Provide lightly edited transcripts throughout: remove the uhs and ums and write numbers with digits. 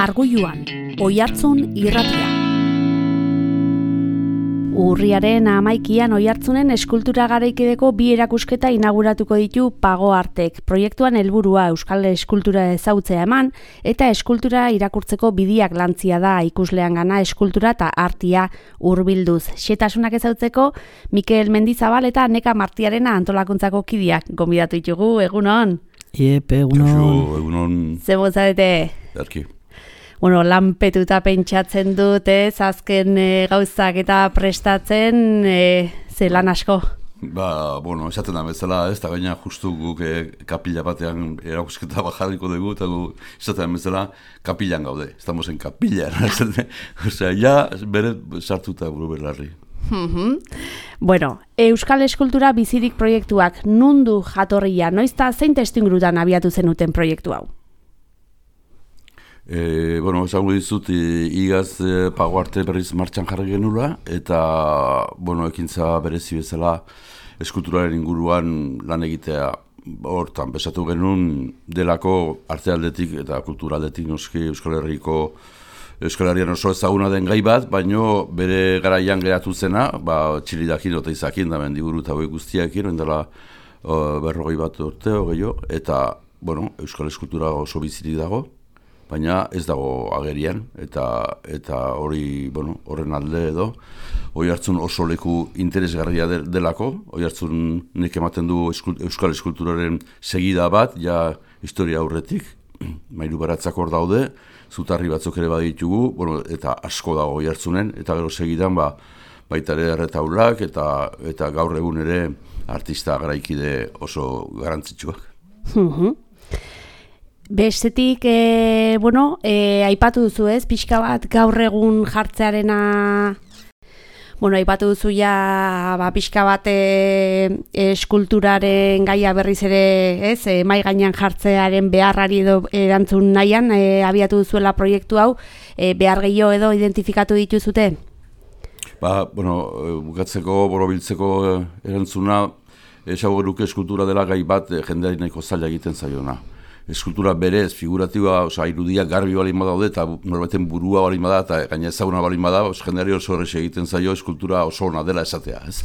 Arguluan, Oihartzun irratia. Urriaren 11an Oihartzunen eskultura garaikideko 2 erakusketa inauguratuko ditu Pago Artek. Proiektuan helburua euskal eskultura ezagutzea eman eta eskultura irakurtzeko bideak lantzia da ikusleangana eskultura eta artia hurbilduz. Xetasunak ezagutzeko Mikel Mendizabal eta Neka Martiarena antolakuntzako kideak gonbidatu ditugu. Egunon. Egunon. Zebo zarete? Erki. Bueno, lanpetuta pentsatzen dut, azken gauzak eta prestatzen, ze lan asko. Esaten da bezala, da gaina justu guk kapila batean erakusketa bajarriko dugu, eta gu esaten da bezala kapilan gaude, estamos en kapila. Osea, bere sartuta buru berlarri. Bueno, Euskal Eskultura Bizirik proiektuak nundu jatorria, noizta zein testuingurutan abiatu zenuten proiektu hau? Esango dizut, igaz Pago Arte berriz martxan jarri genula, eta, ekintza berezi bezala eskulturaren inguruan lan egitea hortan besatu genuen delako arte aldetik eta kultura aldetik noski Euskal Herrian oso ezaguna den gai bat, baino bere garaian geratu zena, txilidakin eta izakin da mendiburu eta guztiakin, dela 40 bat urte, eta, Euskal Eskultura oso bizirik dago, baina ez dago agerian, eta hori, horren alde edo, Oihartzun oso leku interesgarria delako, Oihartzun nek ematen du Euskal Eskulturaren segida bat, ja historia aurretik, Mailu Baratzak hor daude, zutarri batzuk ere baditugu, eta asko dago Oihartzunen, eta gero segidan baita ere erretaulak, eta gaur egun ere artista garaikide oso garrantzitsuak. Bestetik, aipatu duzu ez, pixka bat gaur egun jartzearena, aipatu duzu ja, pixka bat eskulturaren gaia berriz ere, ez, mai gainean jartzearen beharrari edo erantzun nahian, abiatu duzuela proiektu hau, behar gehiago edo identifikatu dituzute? Bukatzeko, borobiltzeko erantzuna, esago geruke eskultura dela gai bat jendeari nahiko zaila egiten zaiona. Eskultura berez, figuratiba, irudiak garbi balin badaude, eta norbaiten burua balin bada, eta gaina ezaguna balin bada, jendeari oso horrexe egiten zaio eskultura oso ona dela esatea, ez?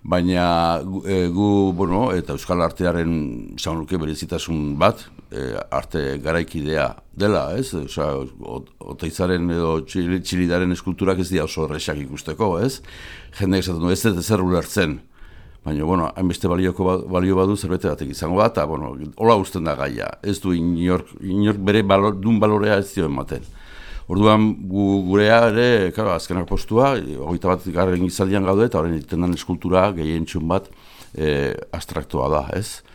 Baina gu, eta Euskal Artearen, esan luke berezitasun bat, arte garaikidea dela, ez? Oteizaren edo txilidaren eskulturak ez dira oso horrexak ikusteko, ez? Jendeak esaten du, ez zer ulertzen. Baina, hainbeste balio badu zerbete batek izango da, eta, hola usten da gaia. Ez du inork bere dun balorea ez dio ematen. Orduan, gurea ere, azkenak postua, 21 garren gizaldian gaude, eta horren egiten den eskultura gehientxun bat abstraktua da, ez?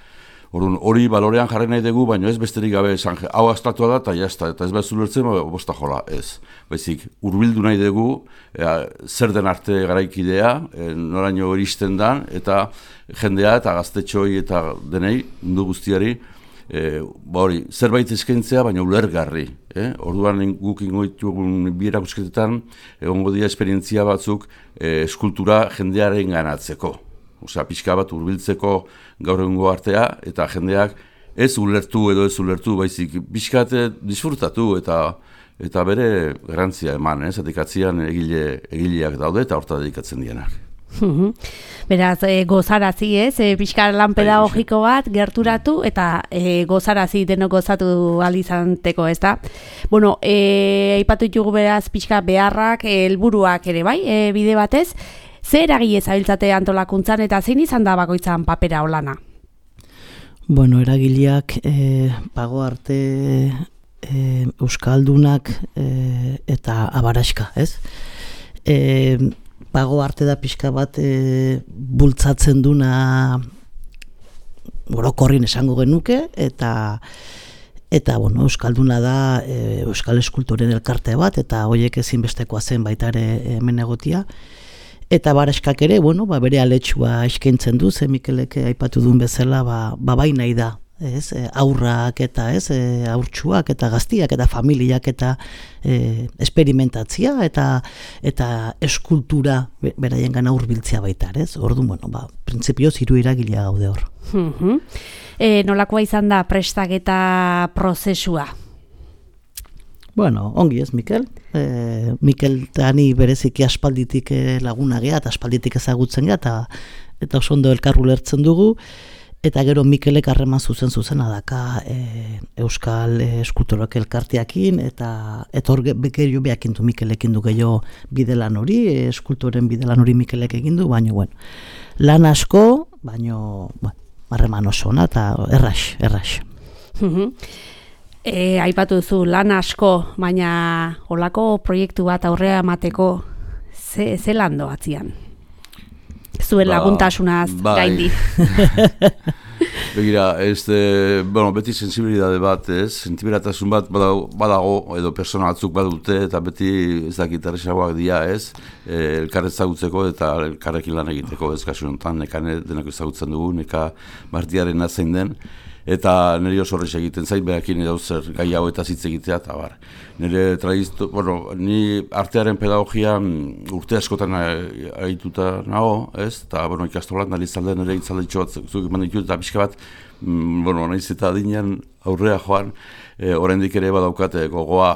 Orduan, hori balorean jarri nahi dugu, baina ez besterik gabe esan, hau abstraktua da, eta jazta, eta ez behar zulertzen, bosta jola, ez. Baizik, hurbildu nahi dugu, zer den arte garaikidea, noraino iristen dan, eta jendea eta gaztetxoi eta denei, mundu guztiari, zerbait eskaintzea, baina ulergarri. Orduan guk ingoitugun 2 erakusketetan, egongo dira esperientzia batzuk eskultura jendearen ganatzeko. Osea, pixka bat hurbiltzeko gaur egungo artea, eta jendeak ez ulertu edo ez ulertu, baizik pixkat disfrutatu eta bere garrantzia eman, zatikatzean egileak daude eta horta dedikatzen dienak. Beraz, gozarazi ez, pixka lan pedagogiko bat gerturatu eta gozarazi denok gozatu alizanteko, ez da? Aipatu ditugu beraz pixka beharrak, helburuak ere bai, bide batez, zer eragile zabiltzate antolakuntzan eta zein izan da bakoitzan papera olana? Eragileak Pago Arte Euskaldunak eta Abaraxka, ez? Pago Arte da pixka bat bultzatzen duna orokorrin esango genuke, eta Euskalduna da Euskal Eskulturen elkarte bat, eta horiek ezinbestekoa zen baita ere hemen egotia. Eta Abaraxkak ere, bere aletxua eskaintzen du, ze Mikelek aipatu duen bezala, bai nahi da, ez? Aurrak eta aurtsuak eta gaztiak eta familiak eta esperimentatzia eta eskultura beraien gana hurbiltzea baita, ez? Orduan, printzipioz 3 eragilea gaude hor. Nolakoa izan da prestaketa prozesua? Bueno, ongi ez, Mikel. Mikel eta ni bereziki aspalditik laguna gea, eta aspalditik ezagutzen gea, eta oso ondo elkar ulertzen dugu, eta gero Mikelek harreman zuzena daka Euskal Eskulturak elkarteakin, eta hor bekerio behakin du Mikelekin du gehiago bidelan hori, eskulturen bidelan hori Mikelek egin du, baina, bueno, lan asko, baina, bueno, harreman oso ona, eta errax. Aipatu duzu lan asko, baina olako proiektu bat aurrea emateko ze lan doatzian? Zuen laguntasunaz gaindi. Begira, beti sensibilidade bat, sentibilatasun bat badago, edo persona batzuk badute, eta beti ez dakit erresagoak dira, elkar ezagutzeko eta elkarrekin lan egiteko, kasu honetan, neka denako ezagutzen dugu, neka Martiaren zein den, eta nire oso horrez egiten zait, behakin edo zer gai hau eta zitz egitea, eta bar. Ni artearen pedagogia urte askotan ahituta nago, eta ikastolan nalizalde nire itzalditxo bat zuk eman ditut, eta pixka bat, nahiz eta adinean aurrea joan, oraindik ere badaukate gogoa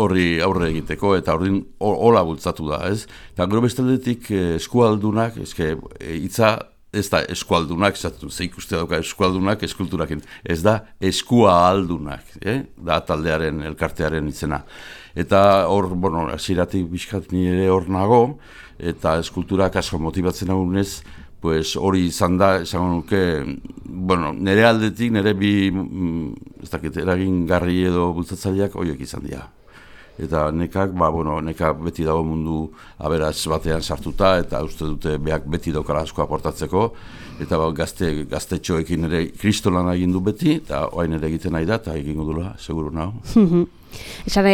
horri aurre egiteko, eta ordin hola bultzatu da, Eta gero bestaldetik eskualdunak, hitza ez da eskualdunak, ze ikuste dauka eskualdunak eskulturakin, ez da eskualdunak, da taldearen, elkartearen izena. Eta hor, hasieratik bizkat nire hor nago, eta eskulturak asko motibatzen agunez, hori izan da, esango nuke, nire aldetik, nire bi, ez dakit, eragingarri edo bultzatzaileak horiek izan dira. Eta nekak beti dago mundu aberats batean sartuta, eta uste dute beak beti daukala asko aportatzeko, eta gaztetxoekin ere kristolana egin du beti, eta oain ere egiten nahi da, eta egingo dula, seguru nago. Esan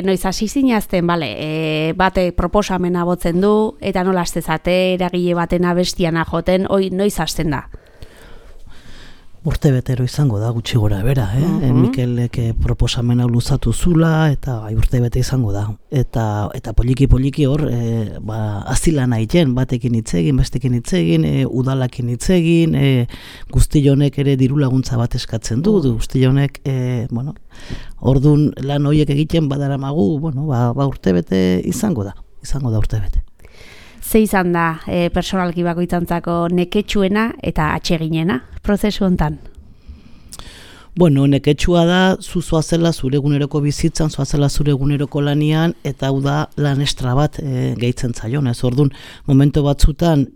noiz hasi zinazten, bate proposamena botzen du, eta nola hastezate eragile baten abestiana joten, noiz hasten da? Urtebetero izango da, gutxi gora bera, Mikelek proposamena luzatu zula, eta urtebete izango da. Eta poliki hor, azilan egiten, batekin hitzegin, bestekin hitzegin, udalakin hitzegin, guztionek ere diru laguntza bat eskatzen du, guztionek, ordun lan horiek egiten badaramagu, urtebete izango da urtebete. Ze izan da personalki bakoitzantzako neketsuena eta atseginena prozesu hontan? Neketsua da, zoazela zure eguneroko bizitzan, zoazela zure eguneroko lanian, eta hau da lan estra bat gehitzen zaion. Orduan, momento batzutan,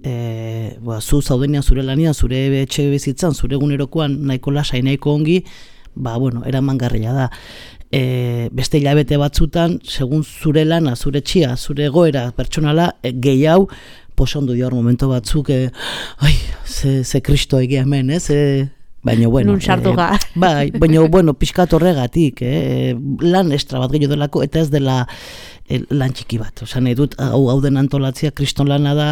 zu zaudenean zure lanian, zure etxe bizitzan, zure egunerokoan nahiko lasai, nahiko ongi, eramangarria da. Beste hilabete batzutan, segun zure lana, zure txia, zure egoera pertsonala, gehiago, posondu dior momento batzuk, ze kristo egia hemen, baina, nun sartu ga. Baina, pixkat horregatik, lan estra bat gehiago delako, eta ez dela lan txiki bat. Osan, edut, hau den antolatzea kriston lana da,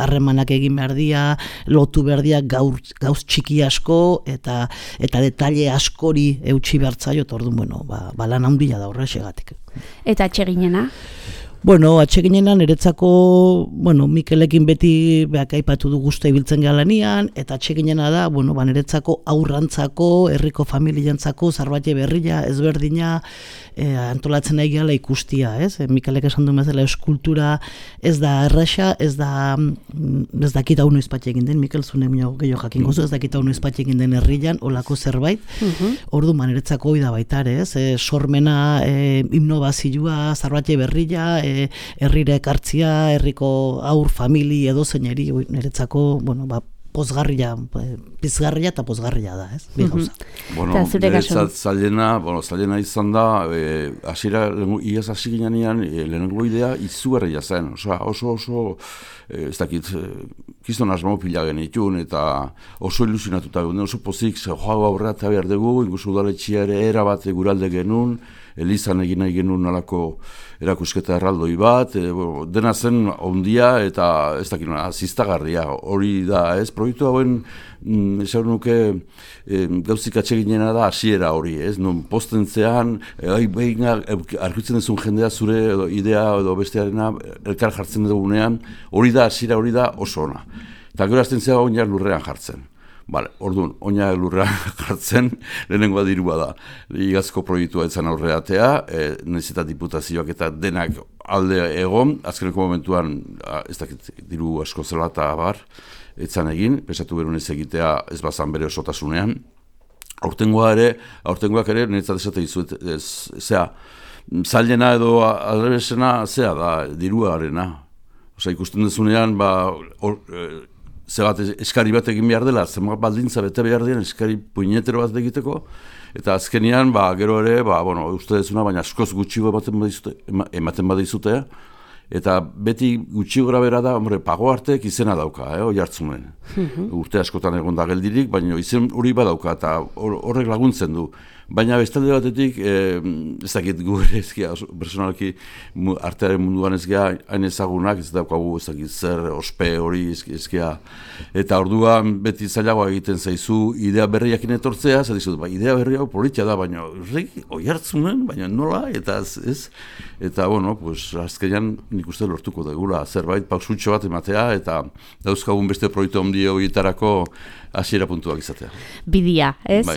harremanak egin behar dia, lotu behar dia gauz txiki asko, eta detalle askori eutxi behartzaio, eta orduan, lan handia da horrexegatik. Eta atseginena? Atseginena niretzako, Mikelekin beti aipatu du guztua ibiltzen galanian, eta atseginena da, niretzako aurrantzako, herriko familiantzako, zarbate berria, ezberdina, antolatzen nahi gala ikustia, Mikelek esan du bezala eskultura ez da erresa, ez dakit hau noiz bat egin den, Mikel zune gehiago jakin gozu, ez dakit hau noiz bat egin den herrian, olako zerbait, ordu niretzako hori da baita, sormena, innovazioa, zarbate berria, herrire ekartzia, herriko aur, famili edo zeinari, niretzako, pozgarria, pizgarria eta pozgarria da, Bi gauza. Niretzat zailena izan da, iaz hasi ginean, lehenengo idea izugarria zen, oso, ez dakit, kiston asmo pila genitun, eta oso ilusionatuta ginen, oso pozik, joago aurra eta behar dugu, inguzu udaletxia ere erabat guralde genuen, Elizan egin nahi genuen alako erakusketa erraldoi bat, dena zen ondia eta ez dakit ziztagarria, hori da, proiektu hauen, esan nuke, gauzik atseginena da hasiera hori, non postentzean, arkitzen duzun jendea zure idea edo bestearena elkar jartzen dugunean, hori da hasiera, hori da oso ona. Eta gero azten zera oinak lurrean jartzen. Orduan, oina lurra jartzen, lehenengoa dirua da. Igazko proiektua etzan aurreatea, nezeta diputazioak eta denak alde egon, azkeneko momentuan, ez dakit diru asko zela eta bar, etzan egin, pesatu berun ez egitea ez bazan bere osotasunean. Aurtengoak ere, niretzat esate izuet, zailena edo adrebesena, zea da, diruarena. Ikusten dezunean, eskari bat egin behar dela, zenbat baldintza bete behar dien, eskari puinetero bat egiteko, eta azkenian, gero ere, uste dezuna, baina askoz gutxigo ematen badizute, eta beti gutxi gora bera da, Pago Artek izena dauka, Oiartzunen. Urte askotan egon da geldirik, baina izen hori badauka, eta horrek laguntzen du. Baina bestalde batetik, ez dakit gu ere ezkia, personalki artearen munduan ezkia hain ezagunak, ez daukagu ez dakit zer, ospe hori ezkia. Eta orduan beti zailagoa egiten zaizu idea berriakin etortzea, dizut, idea berri hau politia da, baina Oiartzunen, baina nola, eta ez. Eta, azkenean nik uste lortuko dugula, zerbait pausutxo bat ematea, eta dauzkagun beste proiektu handi horietarako hasiera puntuak izatea. Bidia, ez,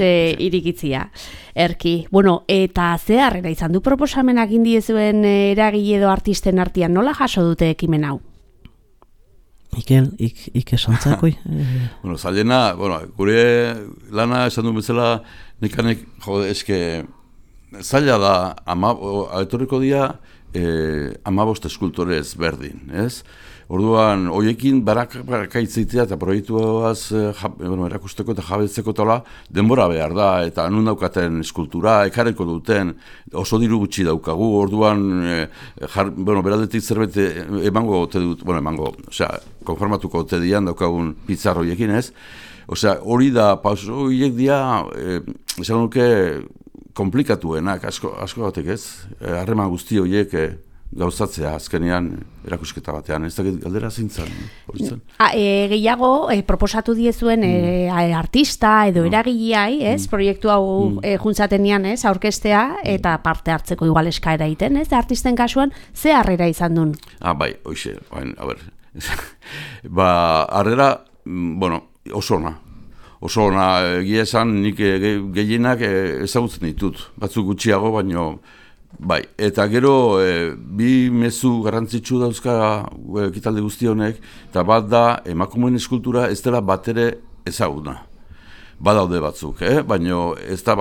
irikitzia. Erki, eta ze harrera izan du proposamenak indiezuen eragile edo artisten artean, nola jaso dute ekimen hau? Mikel, ik esantzakoi? Zailena, gure lana esan du bezala, nekanek, eske, zaila da, etorriko dira, 15 eskultore ezberdin, ez? Orduan, hoiekin barakaitzeitea eta proiektuaz erakusteko eta jabetzeko tola denbora behar da, eta nun daukaten eskultura, ekarreko duten, oso diru gutxi daukagu, orduan, beradetik zerbait emango ote dut, konformatuko ote dian daukagun pizzar hoiekin, ez? Hori da, horiek dia, esan nuke, komplikatuenak, asko batek ez, harreman guzti horiek gauzatzea azkenean erakusketa batean, ez dakit galdera zintzen. Gehiago, proposatu diezuen artista edo eragileai, ez, proiektu hau juntzatenean, ez, aurkestea, eta parte hartzeko igual eskaera egiten, ez, artisten kasuan, ze harrera izan duen? Hoxe, harrera, oso ona. Oso ona, egia esan, nik gehienak ezagutzen ditut, batzuk gutxiago, baino, eta gero, bi mezu garrantzitsu dauzka ekitaldi guzti honek, eta bat da, emakumeen eskultura ez dela batere ezaguna. Badaude batzuk, baina ez da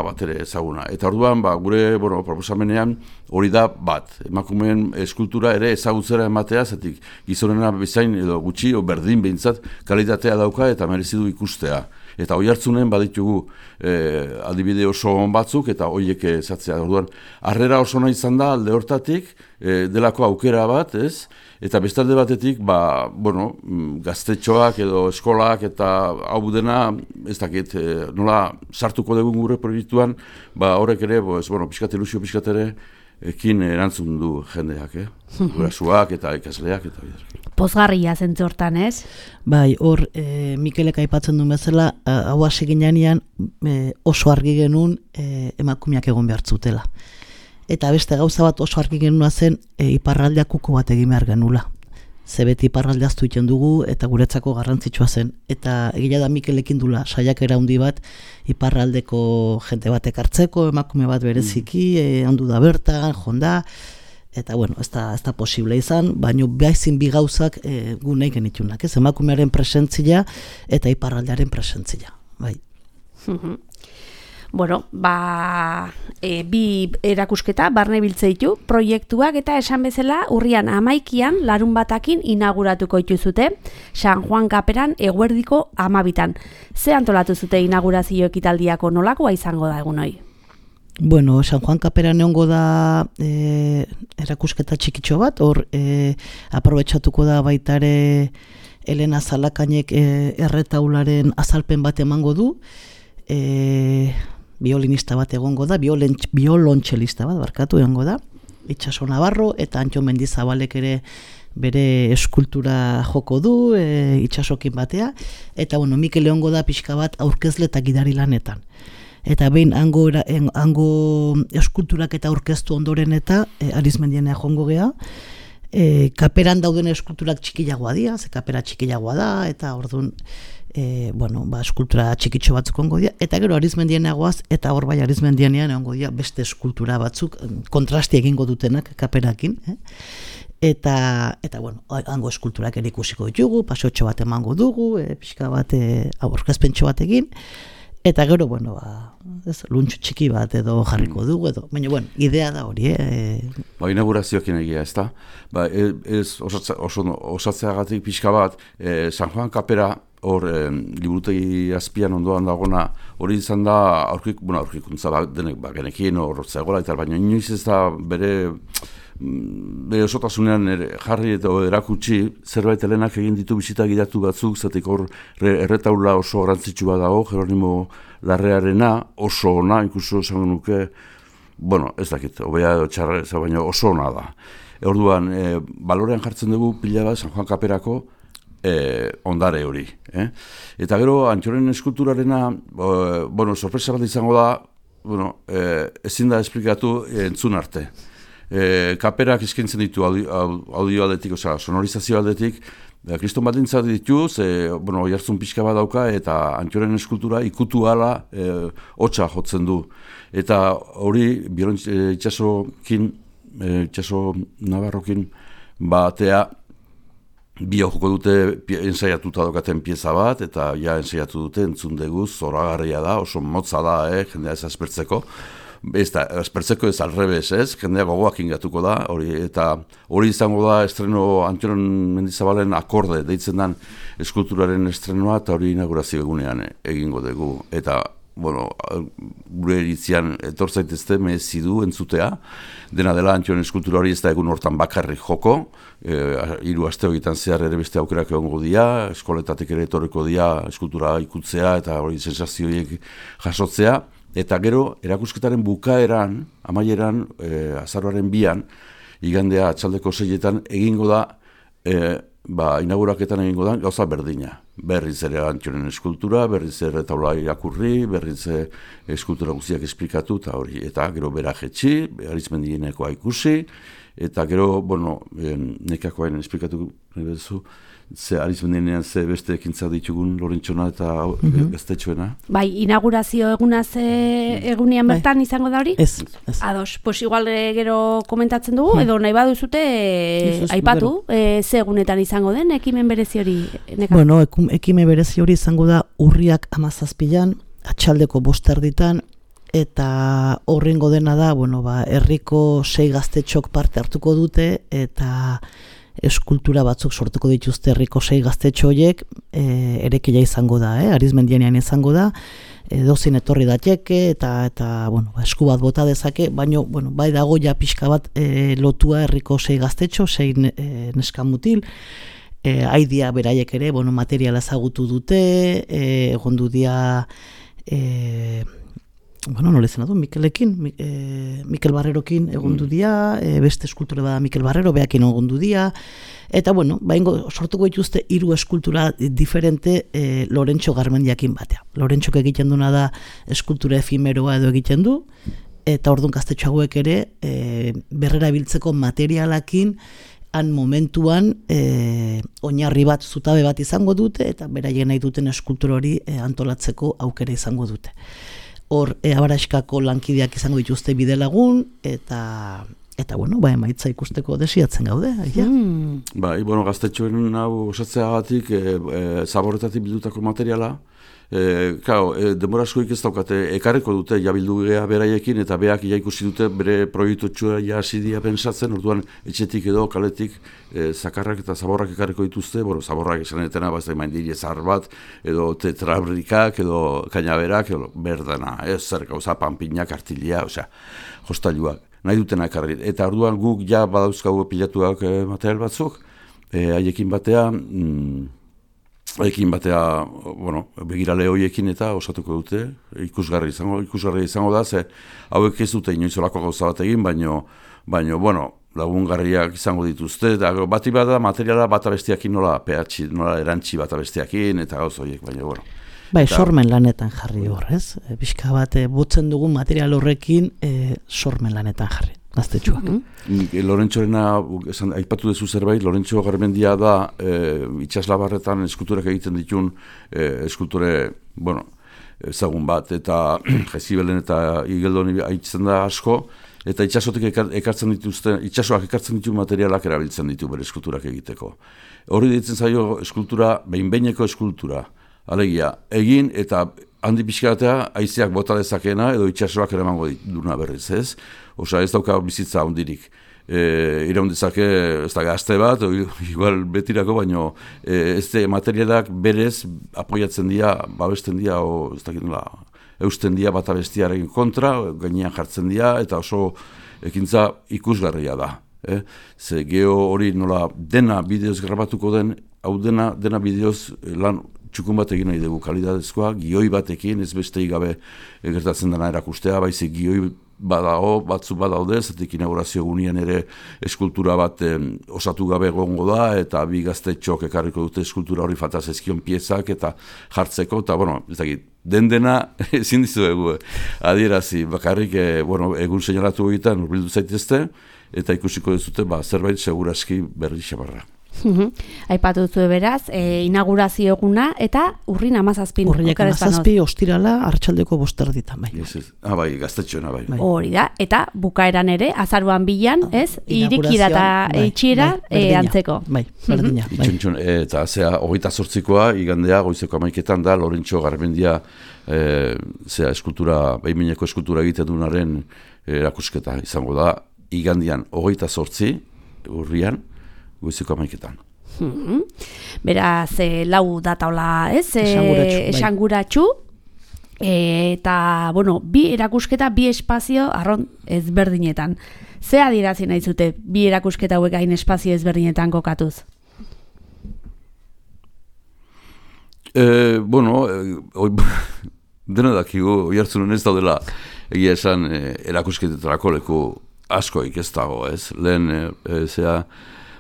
batere ezaguna. Eta orduan, gure proposamenean hori da bat. Emakumeen eskultura ere ezagutzera ematea, zetik gizonena bezain edo gutxi, berdin behintzat, kalitatea dauka eta merezidu ikustea. Eta Oiartzunen baditugu adibide oso on batzuk eta horiek ezatzea. Orduan, harrera oso nahi izan da alde hortatik, delako aukera bat, ez? Eta bestalde batetik, gaztetxoak edo eskolak eta hau dena, ez dakit, nola sartuko dugun gure proiektuan, horrek ere, pixkat ilusio pixkat ere, ekin erantzun du jendeak, gurasuak eta ikasleak eta bidez. Pozgarria zentzu hortan, ez? Hor, Mikelek aipatzen duen bezala, hau hasi ginean oso argi genuen emakumeak egon behar zutela. Eta beste gauza bat oso argi genuna zen iparraldeak kuko bat egin behar genula. Ze beti iparraldea aztu iten dugu eta guretzako garrantzitsua zen. Eta egia da Mikelekin dula saiakera handi bat iparraldeko jente batek hartzeko, emakume bat bereziki, handu da bertan, jonda. Eta ez da posible izan, baina behizin bi gauzak gu nahi genitunak. Emakumearen presentzia eta iparraldearen presentzia. Bai. Bi erakusketa barne biltzeitu proiektuak eta esan bezala urrian 11an larunbatakin inauguratuko dituzute San Juan Kaperan eguerdiko 12an. Ze antolatu zute inaugurazio ekitaldiako nolakoa izango da egun hori? San Juan Kaperan egongo da erakusketa txikitxo bat, hor aprobetxatuko da baitare Elena Zalakainek erretaularen azalpen bat emango du, biolinista bat egongo da, biolontxelista bat barkatu egongo da, Itxaso Navarro eta Antxo Mendizabalek ere bere eskultura joko du, itxasokin batea, eta Mikel egongo da pixka bat aurkezle eta gidari lanetan. Eta behin hango eskulturak eta aurkeztu ondoren eta Arizmendienea jongo gea, kaperan dauden eskulturak txikilagoa dira, ze kapera txikilagoa da, eta orduan eskultura txikitxo batzuk ongo dira, eta gero Arizmendian egoaz, eta hor bai Arizmendianean ongo dira beste eskultura batzuk, kontrasti egingo dutenak kaperakin, Eta hango eskulturak ere ikusiko ditugu, paseotxo bat emango dugu, pixka bat aurkezpentxo bat egin, eta gero, luntxu txiki bat edo jarriko dugu, baina, idea da hori, Inaugurazioekin egia, ez da? Osatzeagatik pixka bat, San Juan kapera, hor, liburutegi azpian ondoan dagona, hori izan da, aurkikuntza denek, genekien hor zegoela, eta baina inoiz ez da bere osotasunean jarri eta erakutsi zerbait helenak egin ditu bisita gidatu batzuk, zatik hor erretaula oso garrantzitsu bat dago, Jeronimo Larrearena, oso ona, inkluso esango nuke, ez dakit, hobea edo txarra, baina oso ona da. Orduan, balorean jartzen dugu pila bat San Juan Kaperako ondare hori. Eta gero, Antxoren eskulturarena, sorpresa bat izango da, ezin da esplikatu entzun arte. Kaperak eskaintzen ditu audio aldetik, sonorizazio aldetik, kriston baldintza ditu, oihartzun pixka bat dauka, eta Antxoren eskultura ikutu ala hotsa jotzen du. Eta hori, itxaso Navarrokin batea, bio joko dute ensaiatuta daukaten pieza bat, eta ensaiatu dute entzun dugu, zoragarria da, oso motza da, jendea ez aspertzeko. Aspertzeko ez alrebez, jendea gogoak ingatuko da, eta hori izango da estreno Antxoren Mendizabalen akorde, deitzen den eskulturaren estrenoa, eta hori inaugurazio egunean egingo dugu. Eta, gure eritzian etortzaitezte mezidu entzutea, dena dela Antxoren eskultura hori ez da egun hortan bakarrik joko, 3 aste horietan zehar ere beste aukerak egongo dira, eskoletatik ere etorriko dira eskultura ikutzea, eta hori sensazioiek jasotzea. Eta gero, erakusketaren bukaeran, amaieran, azaroaren 2an, igandea atxaldeko 6etan, egingo da, inauguraketan egingo da, gauza berdina. Berriz ere Antxoren eskultura, berriz ere taula irakurri, berriz eskultura guztiak esplikatu, eta hori, eta gero bera jetxi, Arizmendienekoa ikusi, eta gero, nekakoain esplikatu bezu, Arizmendienean ze beste ekintza ditugun Lorentxona eta gaztetxoena. Bai, inaugurazio egunean bertan izango da hori? Ez. Ados, igual gero komentatzen dugu, edo nahi baduzute aipatu, ze egunetan izango den ekimen berezi hori? Ekimen berezi hori izango da urriak 17an, atxaldeko 5:00 eta horrengo dena da, herriko 6 gaztetxok parte hartuko dute, eta eskultura batzuk sortuko dituzte herriko 6 gaztetxo horiek, erekia izango da, Arizmendianean izango da, dozin etorri dateke, eta esku bat bota dezake, baina bai dago ja pixka bat lotua herriko 6 gaztetxo, 6 neskamutil, aidia beraiek ere, materiala ezagutu dute, egondu dia, nola izan du, Mikel Barrerokin egondu dia, beste eskultura bada Mikel Barrero, behakin egondu dia, eta sortuko dituzte 3 eskultura diferente Lorentxo Garmendiakin batea. Lorentxok egiten duna da eskultura efimeroa edo egiten du, eta orduan gaztetxo hauek ere berrera biltzeko materialakin han momentuan oinarri bat, zutabe bat izango dute, eta beraien nahi duten eskultura hori antolatzeko aukera izango dute. Hor, Abaraskako lankideak izango dituzte bidelagun, eta emaitza ikusteko desiatzen gaude. Gaztetxoen hau osatzeagatik, zaborretatik bildutako materiala, denbora askoik ez daukate, ekarreko dute jabildu gea beraiekin, eta beak ikusi dute bere proiektotxua hasi pentsatzen, orduan etxetik edo kaletik zakarrak eta zaborrak ekarreko dituzte, zaborrak esanetena, mandiri zahar bat, edo tetrabrikak, edo kainaberak, edo berdana, zer gauza, panpinak, artilia, jostailuak, nahi dutena ekarri. Eta orduan guk ja badauzkagu pilatuak material batzuk, haiekin batea, begirale horiekin eta osatuko dute, ikusgarri izango da, ze hauek ez dute inoizolako gauza bat egin, baino, lagungarriak izango dituzte, eta bati bada materiala bata bestiakin nola erantzi bata bestiakin, eta gauza horiek, baina, sormen lanetan jarri horrez, pixka bat botzen dugun material horrekin sormen lanetan jarri. gaztetxoak. Lorentxorena, aipatu duzu zerbait, Lorentxo Garmendia da itxaslabarretan eskulturak egiten ditun eskulture, ezagun bat, eta Jezibelen eta Igeldoni haitzen da asko, eta itxasotik itxasoak ekartzen ditu materialak erabiltzen ditu bere eskulturak egiteko. Hori ditzen zaio eskultura, behin-behineko eskultura. Alegia, egin eta handi pixkatea haizeak bota dezakeena edo itxasoak eramango duna berriz, ez? Osa ez dauka bizitza hondirik. Iraun dezake, ez da gazte bat, igual betirako, baino ez materialak berez apoiatzen dira, babesten dira, ez dakit nola, eusten dira bata bestiaren kontra, gainean jartzen dira, eta oso ekintza ikusgarria da. Ze geho hori nola dena bideoz grabatuko den, hau dena bideoz lan txukun bat egin nahi dugu kalidadezkoa, gioi batekin, ez besteik gabe gertatzen dena erakustea, baizik gioi batzu badaude, zetik inaugurazio egunean ere eskultura bat osatu gabe egongo da, eta bi gaztetxok ekarriko dute eskultura hori falta zaizkion piezak eta jartzeko, eta ez dakit, dena ezin dizuegu adierazi, bakarrik egun seinalatu egiten urbildu zaitezte, eta ikusiko dezute zerbait seguraski berri xabarra. Aipatu duzu beraz, inaugurazio eguna eta urrin 17. Urriak 17 ostirala arratsaldeko 5:00 bai. Bai, gaztetxoena bai. Hori da, eta bukaeran ere, azaruan 2an, ez? Irekira eta itxiera antzeko. Bai, berdina. Eta 28koa, igandea, goizeko 11:00 da, Lorentxo Garmendia eskultura, behin-behineko eskultura egiten dunaren erakusketa izango da, igandian 28 urrian, goizeko 11:00. Beraz, 4 dataola, ez? Esanguratsu. Eta, bi erakusketa, bi espazio arron ezberdinetan. Ze adierazi nahi zute bi erakusketa hauek hain espazio ezberdinetan kokatuz? Dena dakigu, oihartzunen ez daudela egia esan erakusketetarako leku askoik ez dago, ez? Lehen,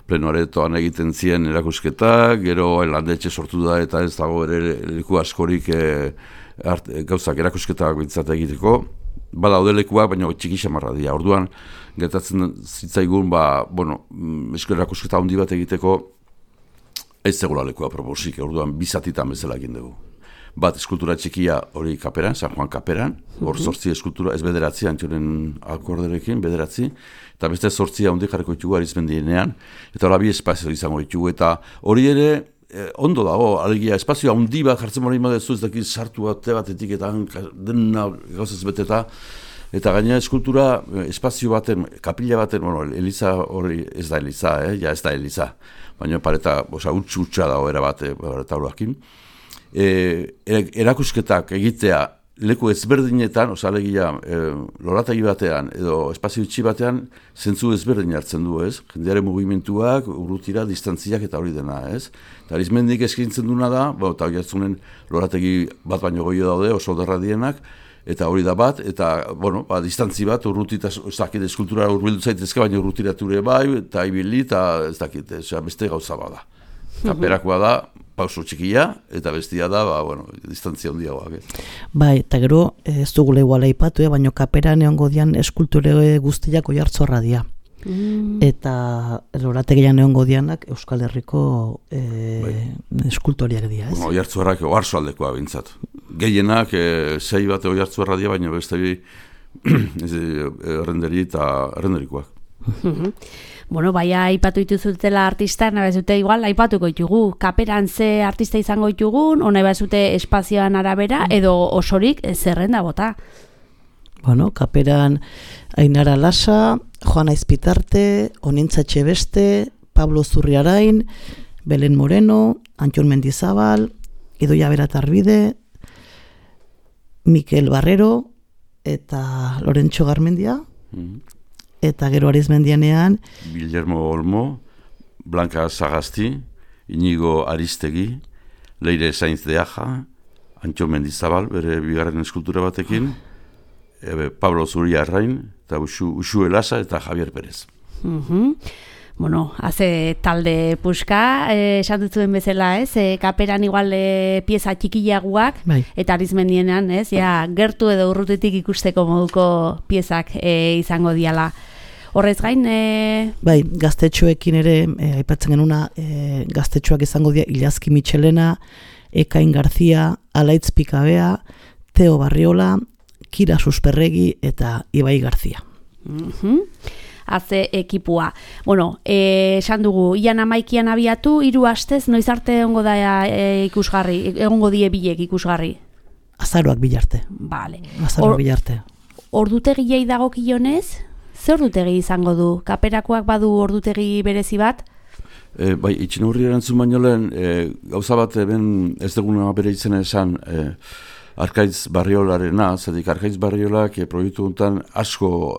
plenoaretoan egiten ziren erakusketak, gero landetxe sortu da eta ez dago ere leku askorik gauzak erakusketak bintzat egiteko. Badaude lekuak, baina txiki xamarra dira. Orduan, gertatzen zitzaigun, erakusketa handi bat egiteko ez zegoela lekua proposik, orduan bizatitan bezala egin dugu. Bat eskultura txikia hori Kaperan, San Juan Kaperan, hor 8 eskultura, ez 9, Antxoren akorderekin, 9, eta beste 8 handi jarriko ditugu Arizmendienean, eta hori 2 espazio izango ditugu, eta hori ere ondo dago, alegia espazio handi bat jartzen hori madezu, ez dakit sartu batetik eta dena gauzaz beteta, eta gaina eskultura espazio baten, kapila baten, Eliza hori ez da Eliza, ez da Eliza, baina pareta, utxa dago erabate, pareta horiakin. Erakusketak egitea leku ezberdinetan, alegia lorategi batean edo espazio itxi batean zentzu ezberdin hartzen du, ez? Jendearen mugimenduak, urrutira, distantziak eta hori dena, ez? Eta Arizmendik eskaintzen duna da, eta hori hartzunen lorategi bat baino goio daude, oso derra dienak, eta hori da bat, eta, distantzi bat, urrutita, ez dakit, eskultura urbildu zaitezke, baina urrutirature bai, eta ibili, eta ez dakit, beste gauza bada. Kaperakoa da, pauso txikia, eta bestia da, distantzia handiagoak. Bai, eta gero, ez dugule iguala ipatu, baina Kaperan egongo dian eskulture guztiak Oiartzorra dira. Eta lorategian egongo dianak Euskal Herriko eskultoriak dira, ez? Oiartzorrak oarsoaldekoa bintzat. Gehienak, 6 bat Oiartzorra dira, baina beste bi errenderi eta errenderikoak. Baina aipatu dituzutela artistak, nahi bazute igual, aipatuko ditugu. Kaperan ze artista izango ditugun, nahi bazute espazioan arabera, edo osorik zerrenda bota. Kaperan Ainara Lasa, Juana Izpitarte, Onintza Etxebeste, Pablo Zurriarain, Belen Moreno, Antxon Mendizabal, Idoia Beratarbide, Mikel Barrero, eta Lorentxo Garmendia, eta gero Arizmendianean Guillermo Olmo, Blanca Sagasti, Inigo Aristegi, Leire Sainz de Aja, Antxon Mendizabal, bere bigarren eskultura batekin, Pablo Zuriarrain, eta Uxu Elasa eta Javier Pérez. Haze talde puska, esan dutzuen bezala, ez? Kaperan igual pieza txikiaguak, eta Arizmendienean, ez? Gertu edo urrutetik ikusteko moduko piezak izango diala. Horrez gain... Bai, gaztetxoekin ere, aipatzen genuna, gaztetxoak izango dira Ilazki Mitxelena, Ekain Garzia, Alaitz Pikabea, Teo Barriola, Kira Susperregi eta Ibai Garzia. Haze ekipua. Bueno, esan dugu, ian 11 abiatu, 3 astez, noiz arte egongo da ikusgarri, egongo die bilek ikusgarri? Azaroak bilarte. Vale. Azaroak bilarte. Ordutegiei dagokionez, ze ordutegi izango du? Kaperakoak badu ordutegi berezi bat? Bai, itxinurri erantzun baino lehen, gauza bat ez duguna bere izena esan, Arkaitz Barriolarena, zedik Arkaitz Barriolak proiektu honetan asko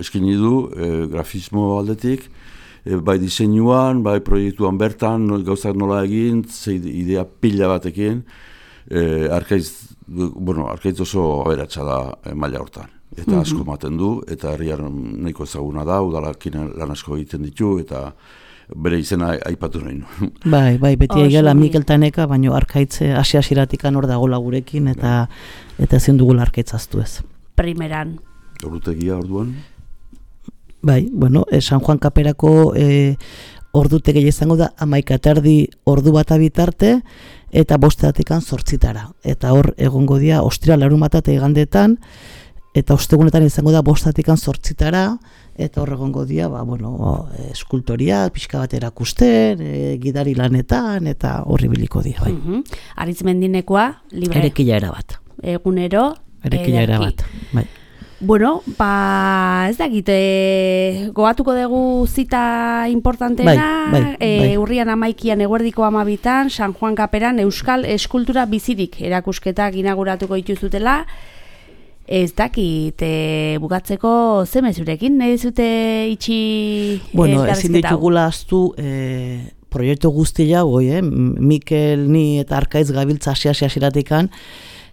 eskini du grafismo aldetik, bai diseinuan, bai proiektuan bertan, gauzak nola egin, idea pila batekin, Arkaitz oso aberatsa da maila hortan. Eta asko ematen du, eta herrian nahiko ezaguna da, udalakin lan asko egiten ditu, eta bere izena aipatu nahi nu. Bai, beti egela Mikel Taneka, baina Arkaitz hasi-hasiratikan hor dagoela gurekin, eta ezin dugula Arkaitz aztu ez. Primeran. Ordutegia orduan? Bai, San Juan Kaperako ordutegia izango da 11:30 ordu bata bitarte, eta 5:00 8:00. Eta hor egongo dira ostira larunbata eta igandetan, eta ostegunetan izango da 5:00 8:00, eta hor egongo dira, eskultoria, pixka bat erakusten, gidari lanetan, eta horri biliko dira. Bai. Aritz Mendinekoa, libre. Erekila erabat. Egunero, erekila erabat. Bai. Bueno, ez dakit, goatuko dugu zita importanteena, bai. Urrian 11 eguerdiko 12 San Juan Kaperan Euskal Eskultura Bizirik erakusketak inauguratuko dituzutela. Ez dakit, bukatzeko ze mezurekin, nahi dizute itxi ezin ditugula aztu proiektu guztia Mikel, ni eta Arkaitz gabiltza hasi-hasiratikan,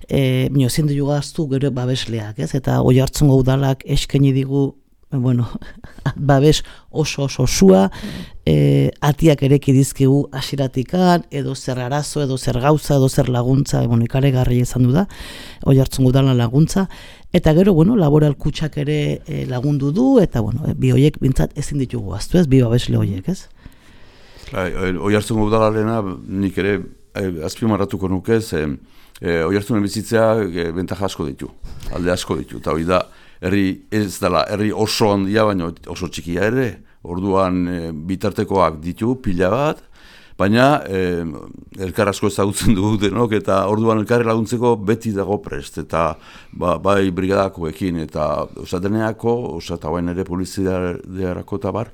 ezin dugu aztu gero babesleak, ez? Eta Oiartzungo udalak eskaini digu, babes oso osua, atiak ereki dizkigu hasiratikan, edo zer arazo, edo zer gauza, edo zer laguntza, ikaregarria izan du da, Oiartzungo udalan laguntza, eta gero, laboral kutxak ere lagundu du, eta bi horiek bintzat ezin ditugu aztu, ez? Bi babesle horiek, ez? Oiartzungo udalarena nik ere azpimarratuko nuke, Oiartzunen bizitzea bentaja asko ditu, alde asko ditu, eta hori da, herri oso handia, baina oso txikia ere, orduan bitartekoak ditu, pila bat, baina elkar asko ezagutzen dugu denok, eta orduan elkarri laguntzeko beti dago prest, eta bai brigadakoekin, eta deneako, eta bain ere poliziarako eta bar,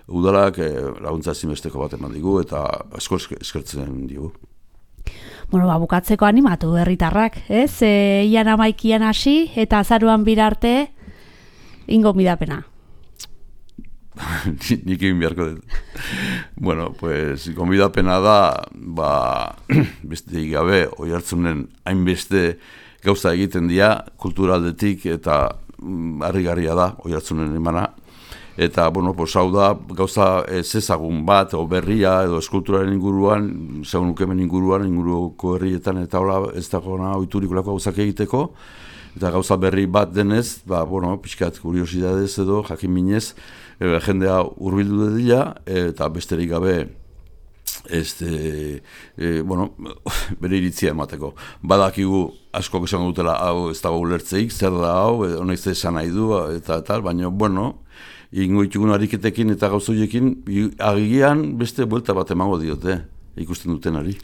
udalak laguntza ezinbesteko bat eman digu, eta asko eskertzen digu. Bukatzeko animatu herritarrak, ez? Ian 11 hasi, eta azaruan birarte, ingo midapena. Nik egin beharko dut. Gonbidapena da, beste gabe, Oiartzunen hainbeste gauza egiten dira, kulturaldetik, eta harrigarria da, Oiartzunen emana. Eta, hau da, gauza ezezagun bat, o berria, edo eskulturaren inguruan, zagun ukemen inguruko herrietan, eta hola ez dagoena oiturikolako gauzak egiteko, eta gauza berri bat denez, pixkat kuriosidadez edo, jakin minez, jendea hurbildu dela, eta besterik gabe, bere iritzia emateko. Badakigu asko esango dutela, hau ez dago ulertzeik, zer da hau, honek ze esan nahi du, eta tal, baina, ingo ditugun ariketekin eta gauzoiekin, agian beste buelta bat emango diote, ikusten dutenari.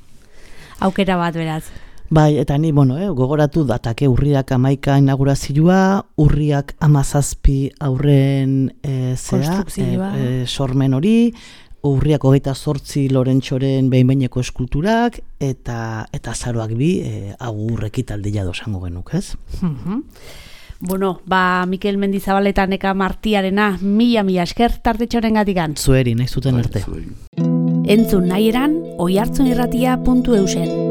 Aukera bat beraz. Bai, eta ni, gogoratu datake urriak 11 inaugurazioa, urriak 17 aurren sormen hori, urriak 28 Lorentxoren behin-behineko eskulturak, eta azaroak 2 agur ekitaldia dosango genuk, ez? Mikel Mendizabal eta Neka Martiarena, mila esker tartetxoren gatikan. Zueri, nahi zuten arte. Entzun nahi eran, oiartzunirratia.eusen.